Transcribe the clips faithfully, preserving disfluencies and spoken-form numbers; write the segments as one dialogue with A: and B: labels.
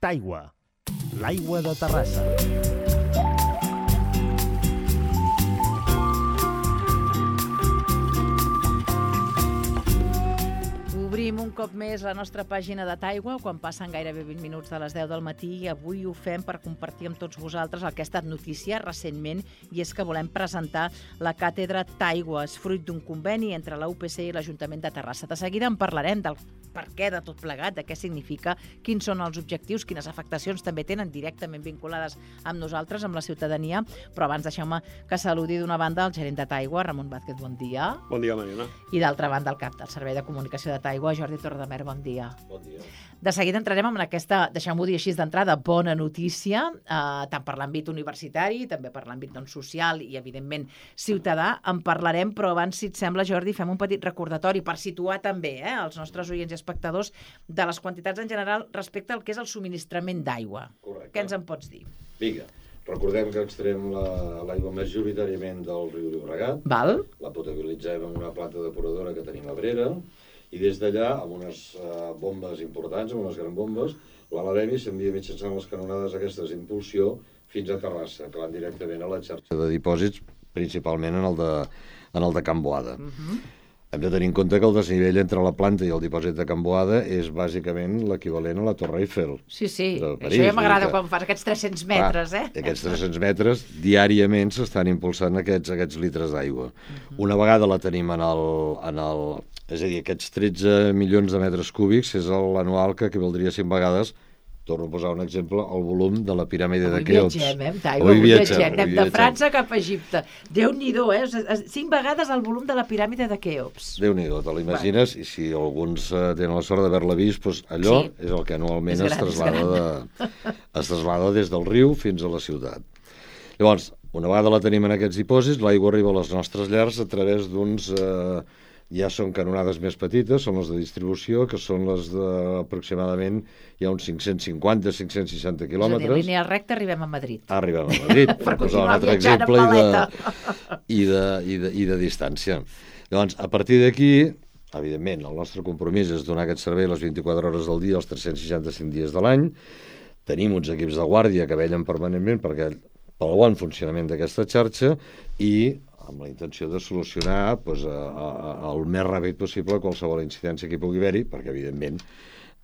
A: Taigua, l'aigua de Terrassa.
B: Obrim un cop més la nostra pàgina de Taigua quan passen gairebé vint minuts de les deu del matí i avui ho fem per compartir amb tots vosaltres el que ha estat notícia recentment i és que volem presentar la càtedra Taigües, fruit d'un conveni entre la U P C i l'Ajuntament de Terrassa. De seguida en parlarem del per què de tot plegat, de què significa, quins són els objectius, quines afectacions també tenen directament vinculades amb nosaltres, amb la ciutadania, però abans deixeu-me que saludi d'una banda el gerent de Taigua, Ramon Vázquez, bon dia.
C: Bon dia, Mariona.
B: I d'altra banda el cap del Servei de Comunicació de Taigua, Jordi Torredemer, bon dia.
C: Bon dia.
B: De seguida entrarem en aquesta, deixeu-m'ho dir així d'entrada, bona notícia, eh, tant per l'àmbit universitari, també per l'àmbit doncs, social i, evidentment, ciutadà. En parlarem, però abans, si et sembla, Jordi, fem un petit recordatori per situar també eh, els nostres oients i espectadors de les quantitats en general respecte al que és el subministrament d'aigua.
C: Correcte.
B: Què ens en pots dir?
C: Vinga, recordem que extrem l'aigua la, majoritàriament del riu Llobregat.
B: Val.
C: La potabilitzem en una planta depuradora que tenim a Brera i des d'allà, amb unes uh, bombes importants, amb unes grans bombes, l'elevem i s'envia mitjançant les canonades aquestes d'impulsió fins a Terrassa, que van directament a la xarxa de dipòsits, principalment en el de, en el de Can Boada. Uh-huh. Hem de tenir en compte que el desnivell entre la planta i el dipòsit de Can Boada és bàsicament l'equivalent a la Torre Eiffel.
B: Sí, sí,
C: París,
B: això ja m'agrada
C: que...
B: quan fas aquests tres-cents metres,
C: ah,
B: eh?
C: Aquests tres-cents metres, diàriament s'estan impulsant aquests, aquests litres d'aigua. Uh-huh. Una vegada la tenim en el, en el... És a dir, aquests tretze milions de metres cúbics és l'anual que equivaldria cinc vegades, torno a posar un exemple, el volum de la piràmide de Keops.
B: Avui viatgem, eh, Taigua, avui viatgem, anem de França cap a Egipte. Déu-n'hi-do, eh? Cinc vegades el volum de la piràmide de Keops.
C: Déu-n'hi-do, te l'imagines? I si alguns uh, tenen la sort d'haver-la vist, doncs allò sí. És el que anualment es, gran, es, traslada de, es traslada des del riu fins a la ciutat. Llavors, una vegada la tenim en aquests dipòsits, l'aigua arriba a les nostres llars a través d'uns... Eh, ja són canonades més petites, són les de distribució, que són les d'aproximadament hi ha uns cinc-cents cinquanta a cinc-cents seixanta quilòmetres.
B: És a dir, línia recta arribem a Madrid.
C: Arribem a Madrid, per posar un altre exemple, i de, i, de, i, de, i de distància. Llavors, a partir d'aquí, evidentment, el nostre compromís és donar aquest servei les vint-i-quatre hores del dia, els tres-cents seixanta-cinc dies de l'any. Tenim uns equips de guàrdia que vellen permanentment perquè pel bon funcionament d'aquesta xarxa i amb la intenció de solucionar doncs, a, a, a, el més ràpid possible qualsevol incidència que hi pugui haver-hi, perquè evidentment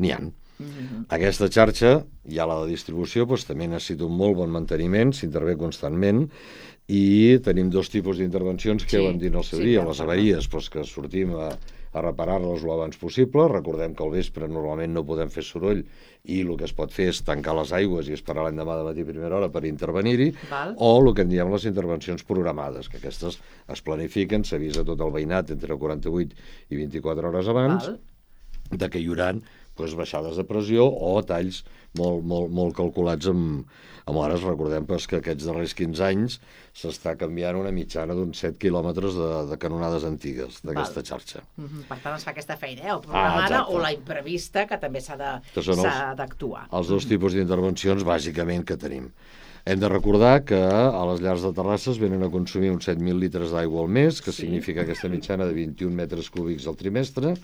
C: n'hi ha. Mm-hmm. Aquesta xarxa, ja la de distribució, doncs, també necessita un molt bon manteniment, s'intervé constantment, i tenim dos tipus d'intervencions que sí, ja vam dir al seu sí, dia, les avaries, doncs, que sortim a, a reparar-les el abans possible. Recordem que al vespre normalment no podem fer soroll i el que es pot fer és tancar les aigües i esperar l'endemà de matí a primera hora per intervenir-hi, o el que en diem les intervencions programades, que aquestes es planifiquen, s'avisa tot el veïnat entre quaranta-vuit i vint-i-quatre hores abans, Val. de que hi haurà doncs, baixades de pressió o talls molt, molt, molt calculats amb, amb hores. Recordem doncs, que aquests darrers quinze anys s'està canviant una mitjana d'uns set quilòmetres de, de canonades antigues d'aquesta xarxa.
B: Mm-hmm. Per tant, es fa aquesta feina, eh? O programada ah, o la imprevista, que també s'ha d'actuar.
C: Els, els dos tipus d'intervencions bàsicament que tenim. Hem de recordar que a les llars de Terrassa es venen a consumir uns set mil litres d'aigua al mes, que sí. significa aquesta mitjana de vint-i-un metres cúbics al trimestre.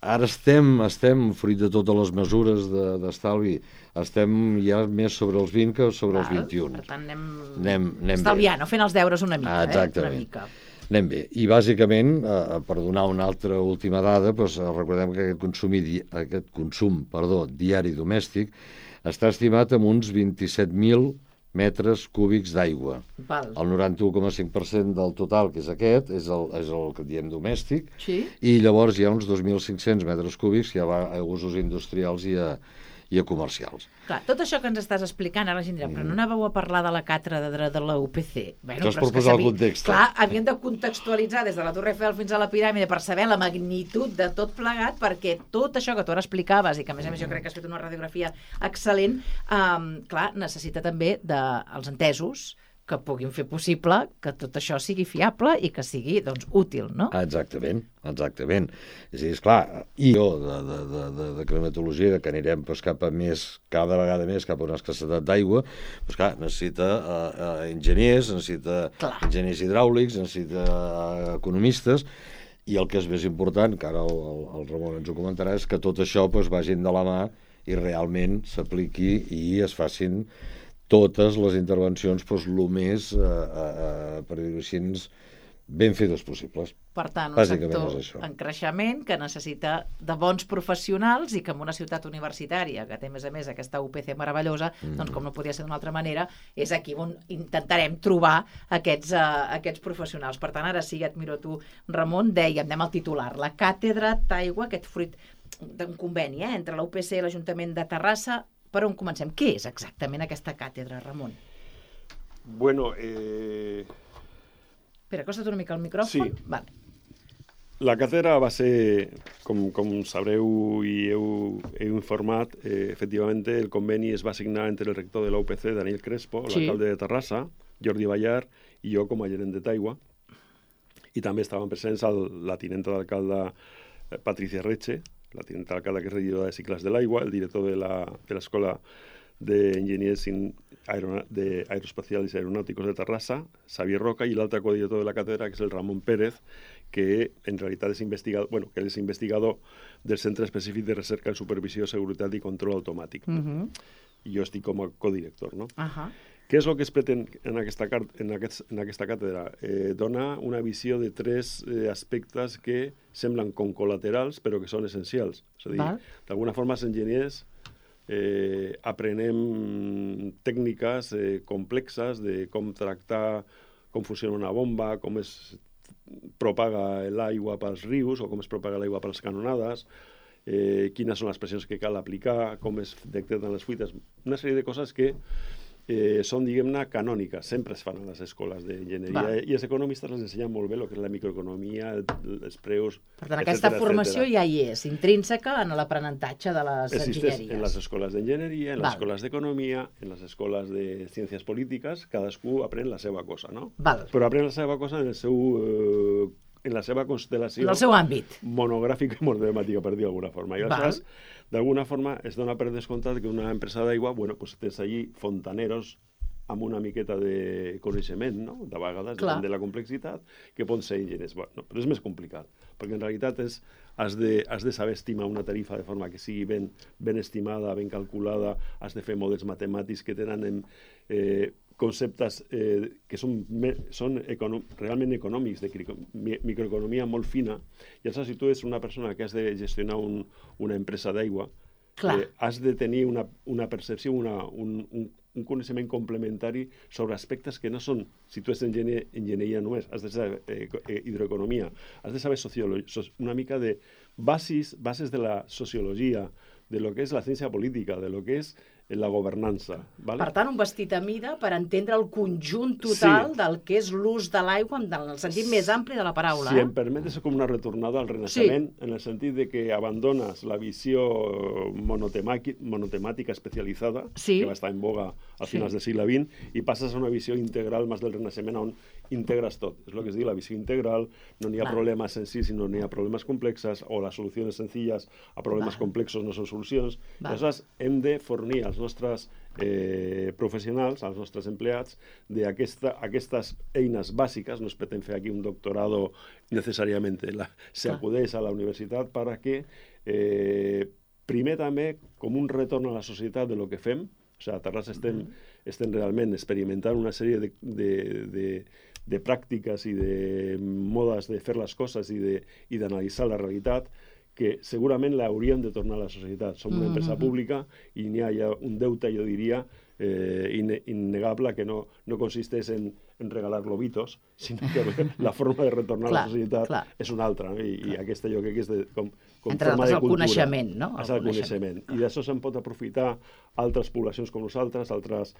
C: Ara estem, estem, fruit de totes les mesures d'estalvi, de, estem ja més sobre els vint que sobre Val, els vint-i-un.
B: Per tant, anem,
C: anem, anem
B: estalviant, o fent els deures una mica.
C: Ah, exactament.
B: Eh? Una mica.
C: Anem bé. I bàsicament, eh, per donar una altra última dada, doncs, recordem que aquest, consum, aquest consum perdó, diari domèstic està estimat en uns vint-i-set mil metres cúbics d'aigua. El noranta-u coma cinc per cent del total, que és aquest, és el, és el que diem domèstic,
B: sí?
C: I llavors hi ha uns dos mil cinc-cents metres cúbics que ja va a usos industrials i a, i a comercials.
B: Clar, tot això que ens estàs explicant, ara la gent dirà, però no anàveu a parlar de la càtedra de, de la U P C.
C: Bueno, això és per posar el context.
B: Clar, havien de contextualitzar des de la Torre Eiffel fins a la piràmide per saber la magnitud de tot plegat, perquè tot això que tu ara explicaves, i que a més a més jo crec que has fet una radiografia excel·lent, um, clar, necessita també dels entesos que puguin fer possible que tot això sigui fiable i que sigui, doncs, útil, no?
C: Exactament, exactament. És a dir, esclar, i jo de, de, de, de, de climatologia, de que anirem doncs, cap a més, cada vegada més cap a una escassetat d'aigua, doncs clar, necessita uh, uh, enginyers, necessita clar. enginyers hidràulics, necessita uh, economistes, i el que és més important, que ara el, el, el Ramon ens ho comentarà, és que tot això doncs, vagin de la mà i realment s'apliqui i es facin totes les intervencions doncs, el més, eh, eh, per dir-ho així, ben fetes possibles.
B: Per tant, un
C: Bàsicament és
B: sector
C: això.
B: en creixement que necessita de bons professionals i que en una ciutat universitària, que té a més a més aquesta U P C meravellosa,
C: Mm.
B: doncs com no podia ser d'una altra manera, és aquí on intentarem trobar aquests, uh, aquests professionals. Per tant, ara sí, et miro tu, Ramon, dèiem, anem al titular, la càtedra d'aigua, aquest fruit d'un conveni eh, entre la U P C i l'Ajuntament de Terrassa. Per on comencem? Què és exactament aquesta càtedra, Ramon?
D: Bueno, eh...
B: Espera, acosta't una mica al micròfon.
D: Sí.
B: Vale.
D: La càtedra va ser, com, com sabreu i heu, heu informat, eh, efectivament el conveni es va signar entre el rector de la U P C, Daniel Crespo,
B: Sí.
D: l'alcalde de Terrassa, Jordi Ballar, i jo com a gerent de Taigua. I també estaven presents el, la tinenta d'alcalde eh, Patricia Reche, la tinenta d'alcalde que és regidora de cicles de l'aigua, el director de la- de l'Escola d'Enginyers Aerona- de Aeroespacials i Aeronàuticos de Terrassa, Xavier Roca, i l'altre codirector de la càtedra, que és el Ramon Pérez, que en realitat és investigador, bueno, que és investigador del Centre Específic de Recerca en Supervisió, Seguretat i Control Automàtic.
B: Uh -huh.
D: I jo estic com a codirector, no?
B: Uh -huh.
D: Què és el que es pretén en aquesta, en aquest, en aquesta càtedra? Eh, donar una visió de tres eh, aspectes que semblen com col·laterals, però que són essencials. És a dir,
B: Val.
D: d'alguna forma, els enginyers eh, aprenem tècniques eh, complexes de com tractar, com funciona una bomba, com es propaga l'aigua pels rius o com es propaga l'aigua per les canonades, eh, quines són les pressions que cal aplicar, com es detecten les fuites, una sèrie de coses que eh, són, diguem-ne, canòniques, sempre es fan a les escoles d'enginyeria,
B: Va.
D: i els economistes les ensenyen molt bé el que és la microeconomia, el, els preus,
B: Per tant, aquesta
D: etcètera,
B: formació
D: etcètera.
B: ja hi és, intrínseca en l'aprenentatge de les
D: Existeix
B: enginyeries.
D: en les escoles d'enginyeria, en
B: Val.
D: les escoles d'economia, en les escoles de ciències polítiques, cadascú aprèn la seva cosa, no?
B: Val.
D: Però aprèn la seva cosa en el seu... Eh, en la seva constel·lació
B: En el seu àmbit.
D: monogràfica i monotemàtica, per dir d'alguna forma. I
B: Val.
D: aleshores, d'alguna forma, es dona per descomptat que una empresa d'aigua, bueno, pues tens allí fontaneros amb una miqueta de coneixement, no? De vegades,
B: Clar.
D: depèn de la complexitat, que poden ser enginyers. Bueno, però és més complicat, perquè en realitat és, has, de, has de saber estimar una tarifa de forma que sigui ben, ben estimada, ben calculada, has de fer models matemàtics que tenen en, eh, conceptes eh, que són, me, són econo realment econòmics, de mi microeconomia molt fina, i aleshores si tu ets una persona que has de gestionar un, una empresa d'aigua, eh, has de tenir una, una percepció, una, un, un, un coneixement complementari sobre aspectes que no són, si tu ets enginyer, enginyeria només, has de saber eh, hidroeconomia, has de saber sociologia, una mica de bases, bases de la sociologia, de lo que és la ciència política, de lo que és la governança. ¿Vale?
B: Per tant, un vestit a mida per entendre el conjunt total
D: Sí.
B: del que és l'ús de l'aigua en el sentit més ampli de la paraula.
D: Si
B: eh?
D: em permet, és com una retornada al Renaixement, sí. en el sentit de que abandones la visió monotemàtica especialitzada,
B: Sí.
D: que va estar en boga a
B: Sí.
D: finals del segle vint, i passes a una visió integral més del Renaixement, on integres tot. És el que es diu la visió integral, no n'hi ha
B: Val.
D: problemes senzills, sinó n'hi ha problemes complexes, o les solucions senzilles a problemes
B: Val.
D: complexos no són solucions.
B: Val.
D: Aleshores, hem de fornir als nostres eh, professionals, als nostres empleats, d'aquestes aquesta, eines bàsiques. No es pretén fer aquí un doctorado necessàriament, la, se
B: Clar.
D: acudeix a la universitat per que eh, primer també com un retorn a la societat de lo que fem. O sigui, a Terrassa estem, mm. estem realment experimentant una sèrie de, de, de, de pràctiques i de modes de fer les coses i de, i d'analitzar la realitat que segurament l'hauríem de tornar a la societat. Som una empresa pública i n'hi ha ja un deute, jo diria, eh, innegable, que no, no consisteix en, en regalar globitos, sinó que la forma de retornar
B: Clar,
D: a la societat
B: clar.
D: és una altra, no? I, i aquesta jo crec que és de, com, com
B: Entre
D: forma
B: altres,
D: de
B: el
D: cultura.
B: coneixement, no?
D: És
B: El
D: el coneixement. I d'això se'n pot aprofitar altres poblacions com nosaltres, altres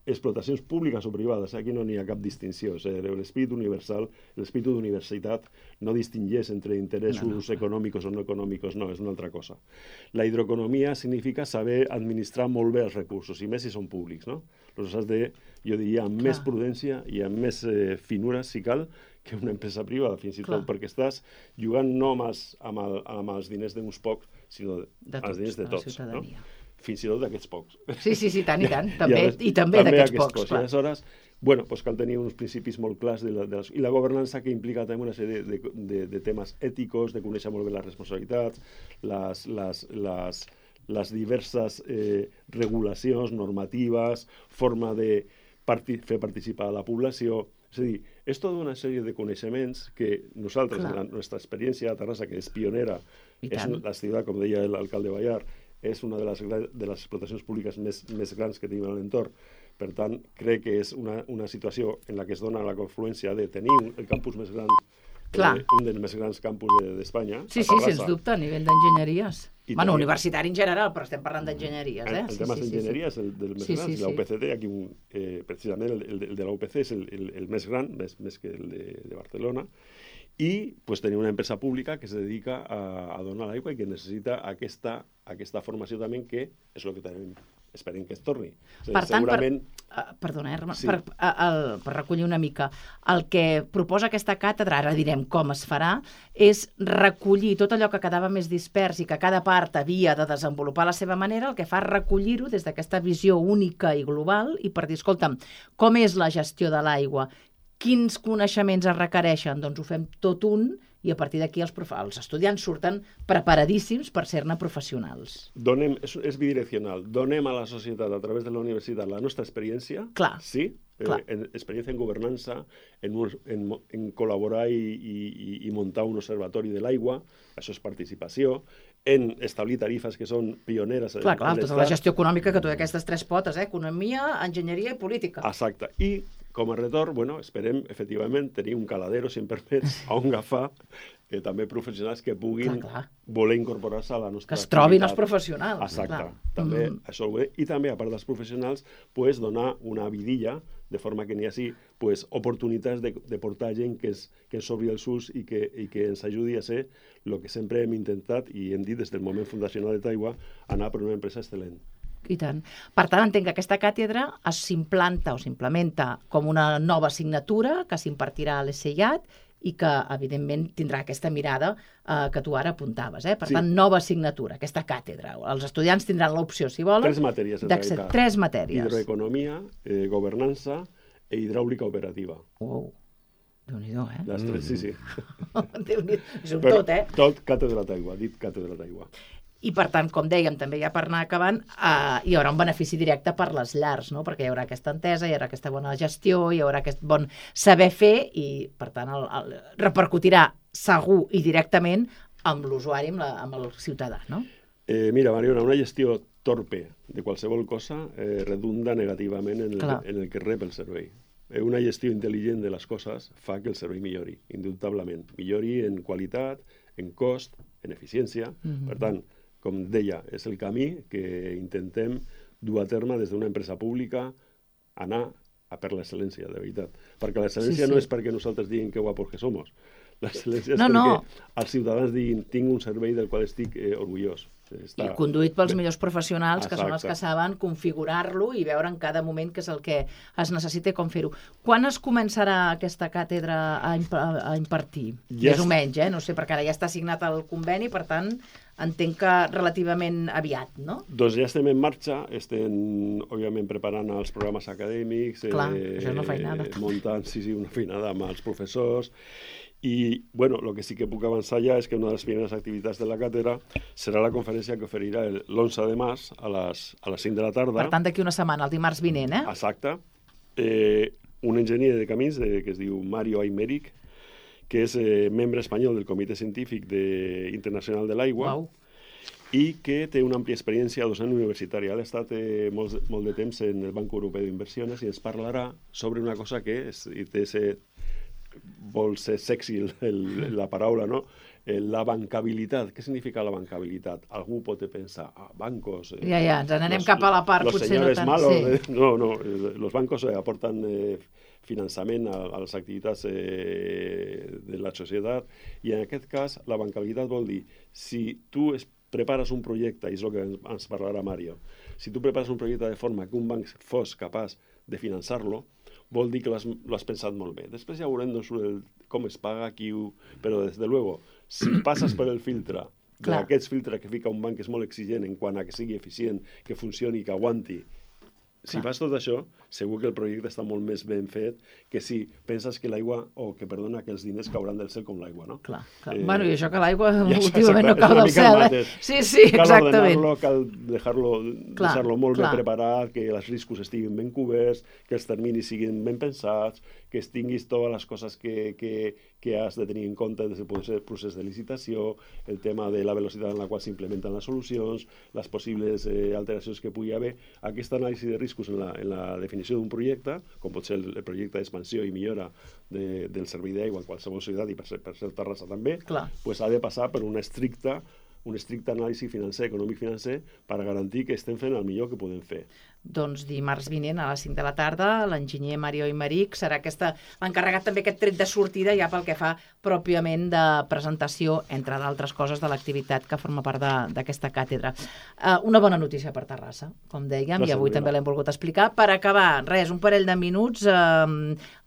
D: explotacions públiques o privades. Aquí no n'hi ha cap distinció. O sigui, l'esperit universal, l'esperit d'universitat no distingeix entre interessos no, no. econòmics o no econòmics, no, és una altra cosa. La hidroeconomia significa saber administrar molt bé els recursos, i més si són públics, no? Llavors has de, jo diria, amb Clar. més prudència i amb més eh, finura, si cal, que una empresa privada, fins i tot, Clar. perquè estàs jugant no amb els, amb el, amb els diners d'uns pocs, sinó
B: de tots,
D: els diners de tots.
B: de
D: No? Fins i tot d'aquests pocs.
B: Sí, sí, sí, tant i tant. També,
D: I,
B: a, i també, també d'aquests pocs,
D: pocs.
B: clar.
D: I aleshores, bueno, doncs cal tenir uns principis molt clars de la, de les, i la governança, que implica també una sèrie de, de, de temes èticos, de conèixer molt bé les responsabilitats, les, les, les, les diverses eh, regulacions, normatives, forma de parti fer participar a la població. És a dir, és tota una sèrie de coneixements que nosaltres, en la nostra experiència a Terrassa, que és pionera, és una, la ciutat, com deia l'alcalde Ballar, és una de les, de les explotacions públiques més, més grans que tenim a l'entorn. Per tant, crec que és una, una situació en la que es dona la confluència de tenir el campus més gran, eh, un dels més grans campus d'Espanya.
B: Sí, sí, sens dubte, a nivell d'enginyeries. Bueno, universitari en general, però estem parlant d'enginyeries, eh?
D: El, el tema d'enginyeria és el del més
B: sí,
D: gran.
B: sí, sí.
D: La U P C T, aquí un, eh, precisament el, el, el de la U P C és el, el, el més gran, més, més que el de, de Barcelona, i pues, tenir una empresa pública que se dedica a, a donar l'aigua i que necessita aquesta, aquesta formació també, que és el que tenim. Esperem que es torni. O sigui,
B: per tant,
D: segurament...
B: per, uh, perdona, eh,
D: sí.
B: per, uh, el, per recollir una mica, el que proposa aquesta càtedra, ara direm com es farà, és recollir tot allò que quedava més dispers i que cada part havia de desenvolupar a la seva manera, el que fa és recollir-ho des d'aquesta visió única i global i per dir, escolta'm, com és la gestió de l'aigua? Quins coneixements es requereixen? Doncs ho fem tot un i a partir d'aquí els, els estudiants surten preparadíssims per ser-ne professionals.
D: Donem, és, és bidireccional. Donem a la societat, a través de la universitat, la nostra experiència,
B: clar,
D: sí,
B: clar.
D: Eh, en, experiència en governança, en, un, en, en col·laborar i, i, i muntar un observatori de l'aigua, això és participació, en establir tarifes que són pioneres.
B: Clar, clar,
D: en
B: tota la gestió econòmica que té aquestes tres potes, eh? Economia, enginyeria i política.
D: Exacte. I com a retorn, bueno, esperem, efectivament, tenir un caladero, si em permets, a on agafar eh, també professionals que puguin clar, clar. voler incorporar-se a la nostra
B: que es trobin
D: activitat.
B: Els professionals.
D: Exacte.
B: Clar.
D: També,
B: mm.
D: això, I també, a part dels professionals, pues, donar una vidilla, de forma que n'hi hagi pues, oportunitats de, de portar gent que, es, que ens obri els ulls i que, i que ens ajudi a ser el que sempre hem intentat i hem dit des del moment fundacional de Taigua, anar per una empresa excel·lent.
B: I tant. Per tant, entenc que aquesta càtedra s'implanta o s'implementa com una nova assignatura que s'impartirà a l'E S I A T i que, evidentment, tindrà aquesta mirada eh, que tu ara apuntaves. Eh? Per sí. tant, nova assignatura, aquesta càtedra. Els estudiants tindran l'opció, si volen...
D: Tres matèries, en realitat.
B: Tres matèries.
D: Hidroeconomia, eh, governança e hidràulica operativa.
B: Wow. Déu-n'hi-do, eh?
D: Les tres, mm. sí, sí.
B: És un Però tot, eh?
D: Tot càtedra d'aigua, dit càtedra d'aigua.
B: I, per tant, com dèiem, també ja per anar acabant, eh, hi haurà un benefici directe per les llars, no? Perquè hi haurà aquesta entesa, hi haurà aquesta bona gestió, hi haurà aquest bon saber fer i, per tant, el, el, repercutirà segur i directament amb l'usuari, amb, la, amb el ciutadà, no?
D: Eh, mira, Mariona, una gestió torpe de qualsevol cosa eh, redunda negativament en el, en el que rep el servei. Eh, una gestió intel·ligent de les coses fa que el servei millori, indubtablement. Millori en qualitat, en cost, en eficiència. Mm-hmm. Per tant, com deia, és el camí que intentem dur a terme des d'una empresa pública, anar a per l'excel·lència, de veritat. Perquè l'excel·lència sí, sí. no és perquè nosaltres diguin que guapos que som. L'excel·lència és no, perquè no. els ciutadans diguin tinc un servei del qual estic eh, orgullós.
B: Està... I conduït pels millors professionals, Exacte. que són els que saben configurar-lo i veure en cada moment què és el que es necessita i com fer-ho. Quan es començarà aquesta càtedra a, imp a impartir? Ja Més o menys, eh? No sé, perquè ara ja està signat el conveni, per tant, entenc que relativament aviat, no?
D: Doncs ja estem en marxa, estem, òbviament, preparant els programes acadèmics,
B: Clar, eh, això és una feinada.
D: muntant, sí, sí, una feinada amb els professors. I, bueno, el que sí que puc avançar ja és que una de les primeres activitats de la càtedra serà la conferència que oferirà l'onze de març a les, a les cinc de la tarda.
B: Per tant, d'aquí una setmana, el dimarts vinent, eh?
D: Exacte. Eh, un enginyer de camins de, que es diu Mario Aymeric, que és eh, membre espanyol del Comitè Científic de, Internacional de l'Aigua,
B: wow.
D: i que té una àmplia experiència docent universitària. Ha estat eh, molt, molt de temps en el Banc Europeu d'Inversions i ens parlarà sobre una cosa que és, i té ser, vol ser sexy el, el, la paraula, no? Eh, la bancabilitat. Què significa la bancabilitat? Algú pot pensar, ah, bancos... Eh,
B: ja, ja, ens n'anem cap a la part, potser no tant.
D: Malos, sí. eh, no, no, los bancos eh, aporten eh, finançament a, a les activitats eh, de la societat i en aquest cas la bancabilitat vol dir si tu es prepares un projecte, i és el que ens parlarà Mario, si tu prepares un projecte de forma que un banc fos capaç de finançar-lo, vol dir que l'has pensat molt bé. Després ja veurem doncs, el, com es paga, qui ho... Però, des de luego, si passes per el filtre, d'aquests filtres que fica un banc que és molt exigent en quant a que sigui eficient, que funcioni, que aguanti, si fas tot això, segur que el projecte està molt més ben fet que si penses que l'aigua, o que, perdona, que els diners cauran del cel com l'aigua, no?
B: Clar, clar.
D: Eh,
B: bueno, i això que l'aigua
D: ja,
B: últimament no
D: exacte,
B: cau
D: és una
B: del
D: mica el
B: cel, eh?
D: mateix.
B: Sí, sí,
D: Cal
B: exactament.
D: ordenar-lo, cal deixar-lo
B: Clar,
D: deixar-lo molt
B: clar.
D: ben preparat, que els riscos estiguin ben coberts, que els terminis siguin ben pensats, que es tinguis totes les coses que, que, que has de tenir en compte des del procés de licitació, el tema de la velocitat en la qual s'implementen les solucions, les possibles eh, alteracions que pugui haver. Aquesta anàlisi de riscos en la, en la definició d'un projecte, com pot ser el, el projecte d'expansió i millora de, del servei d'aigua en qualsevol ciutat i per ser, per ser Terrassa també, pues ha de passar per una estricta un estricte anàlisi financer, econòmic-financer, per garantir que estem fent el millor que podem fer.
B: Doncs dimarts vinent a les cinc de la tarda, l'enginyer Mario Imeric serà aquesta, l'encarregat també aquest tret de sortida ja pel que fa pròpiament de presentació, entre d'altres coses, de l'activitat que forma part d'aquesta càtedra. Uh, una bona notícia per Terrassa, com dèiem, Gràcies, i avui també l'hem volgut explicar. Per acabar, res, un parell de minuts, uh,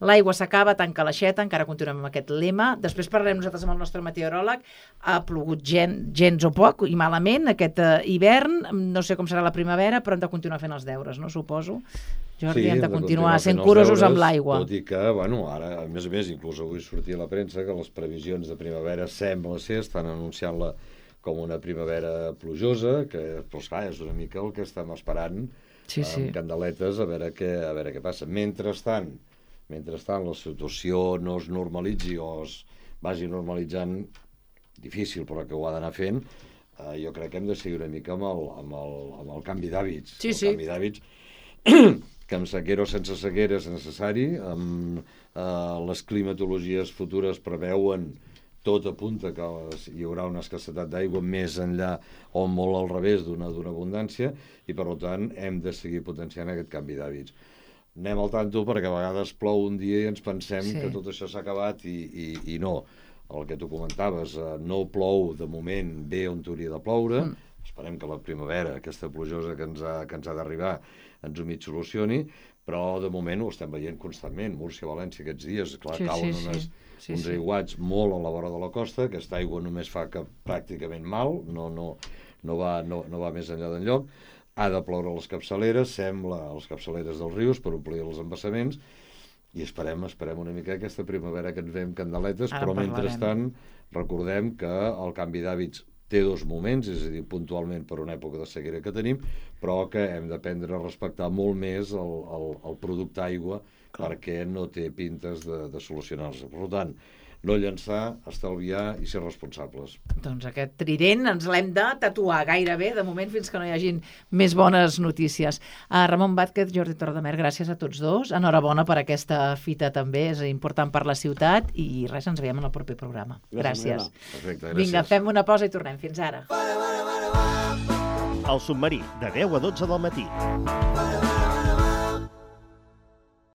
B: l'aigua s'acaba, tanca l'aixeta, encara continuem amb aquest lema. Després parlarem nosaltres amb el nostre meteoròleg. Ha plogut gen, gens o poc i malament aquest uh, hivern, no sé com serà la primavera, però hem de continuar fent els deures, no suposo? Jordi,
C: sí,
B: hem de continuar sent
C: deures,
B: curosos amb l'aigua.
C: Tot i que, bueno, ara, a més a més, inclús avui sortia a la premsa que les previsions de primavera sembla ser, estan anunciant-la com una primavera plujosa, que, doncs clar, és una mica el que estem esperant
B: sí, sí.
C: amb candeletes a veure què, a veure què passa. Mentrestant, mentrestant la situació no es normalitzi o es vagi normalitzant, difícil, però que ho ha d'anar fent, Uh, jo crec que hem de seguir una mica amb el, amb el, amb el canvi d'hàbits.
B: Sí,
C: el
B: sí.
C: canvi d'hàbits que amb sequera o sense sequera és necessari. Amb, uh, les climatologies futures preveuen, tot apunta que hi haurà una escassetat d'aigua més enllà o molt al revés d'una d'una abundància i, per tant, hem de seguir potenciant aquest canvi d'hàbits. Anem al tanto perquè a vegades plou un dia i ens pensem sí. que tot això s'ha acabat i, i, i no. El que tu comentaves, eh, no plou de moment bé on hauria de ploure, mm. esperem que la primavera, aquesta plujosa que ens ha, que ens ha d'arribar, ens ho mig solucioni, però de moment ho estem veient constantment. Múrcia, València, aquests dies, clar,
B: sí,
C: cauen
B: sí,
C: unes,
B: sí. Sí,
C: uns
B: sí.
C: aiguats molt a la vora de la costa, aquesta aigua només fa que pràcticament mal, no, no, no, va, no, no va més enllà d'enlloc, ha de ploure a les capçaleres, sembla a les capçaleres dels rius per omplir els embassaments, i esperem, esperem una mica aquesta primavera que ens veiem candeletes,
B: Ara
C: però
B: parlarem.
C: mentrestant recordem que el canvi d'hàbits té dos moments, és a dir, puntualment per una època de sequera que tenim, però que hem d'aprendre a respectar molt més el, el, el producte aigua perquè no té pintes de, de solucionar-se. Per tant, no llançar, estalviar i ser responsables.
B: Doncs aquest trident ens l'hem de tatuar gairebé, de moment, fins que no hi hagin més bones notícies. Uh, Ramon Vázquez, Jordi Torredemer, gràcies a tots dos. Enhorabona per aquesta fita també, és important per la ciutat i res, ens veiem en el proper programa. Gràcies.
C: gràcies. Perfecte, gràcies.
B: Vinga, fem una pausa i tornem. Fins ara.
A: El submarí, de deu a dotze del matí.